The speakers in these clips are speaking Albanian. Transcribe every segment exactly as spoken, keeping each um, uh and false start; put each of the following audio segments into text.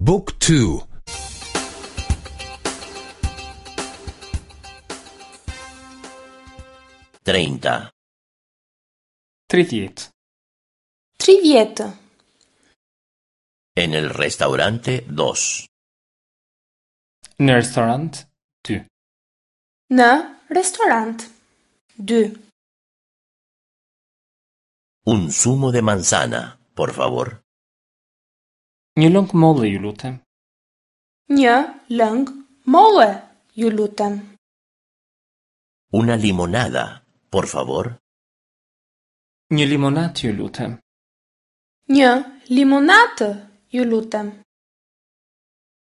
Book two. Treinta. Tridhjetë. Tridhjetë. En el restaurante dos. Në restorant dy. Në restorant dy. Un zumo de manzana, por favor. Një lëng molle, ju lutem. Një lëng molle, ju lutem. Una limonada, por favor. Një limonat, ju lutem. Një limonatë, ju lutem.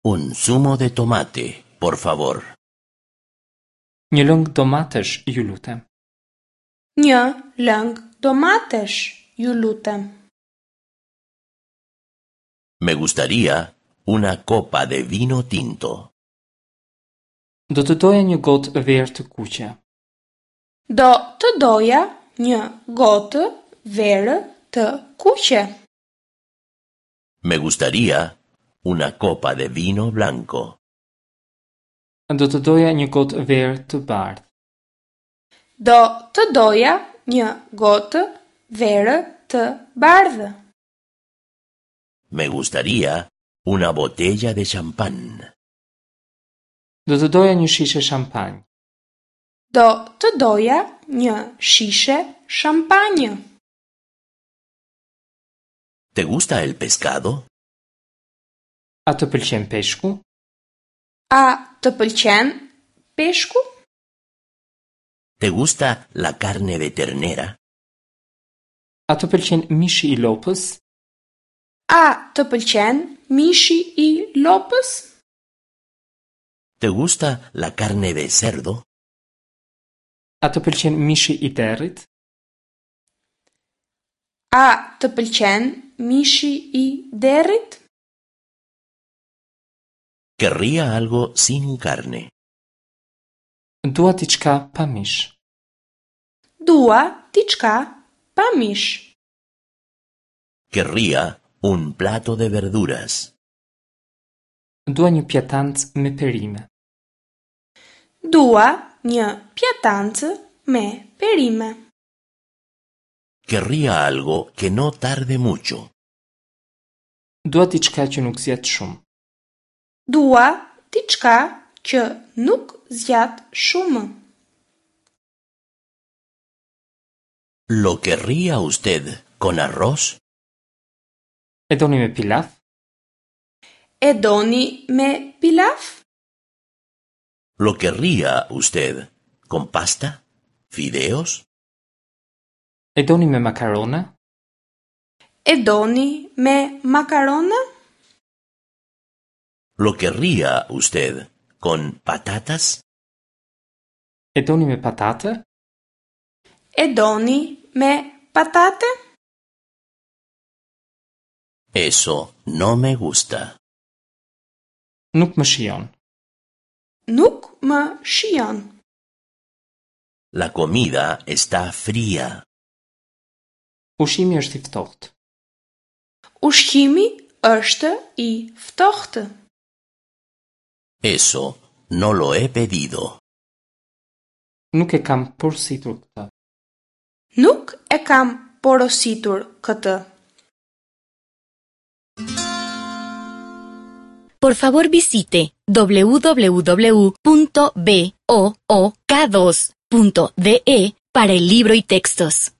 Un zumo de tomate, por favor. Një lëng domatesh, ju lutem. Një lëng domatesh, ju lutem. Me gustaría una copa de vino tinto. Do të doja një gotë verë të kuqe. Do të doja një gotë verë të kuqe. Me gustaría una copa de vino blanco. Do të doja një gotë verë të bardhë. Do të doja një gotë verë të bardhë. Me gustaría una botella de champán. Do të doja një shishe shampanjë. Do të doja një shishe shampanjë. ¿Te gusta el pescado? A të pëlqen peshku? A të pëlqen peshku? ¿Te gusta la carne de ternera? A të pëlqen mishi i lopës? A të pëlqen mishi i lopës? ¿Te gusta la carne de cerdo? A të pëlqen mishi i derrit? A të pëlqen mishi i derrit? Querría algo sin carne. Dua diçka pa mish. Dua diçka pa mish. Querría un plato de verduras. Dua një pjatancë me perime. Dua një pjatancë me perime. Querría algo que no tarde mucho. Dua diçka që nuk zgjat shumë. Dua diçka që nuk zgjat shumë. ¿Lo querría usted con arroz? E doni me pilaf? E doni me pilaf? ¿Lo querría usted con pasta? ¿Fideos? E doni me makarona? E doni me makarona? ¿Lo querría usted con patatas? E doni me patate? E doni me patate? Eso no me gusta. Nuk më shijon. Nuk më shijon. La comida está fría. Ushqimi është i ftohtë. Ushqimi është i ftohtë. Eso no lo he pedido. Nuk e kam porositur këtë. Nuk e kam porositur këtë. Por favor visite w w w punto b o o k dos punto d e para el libro y textos.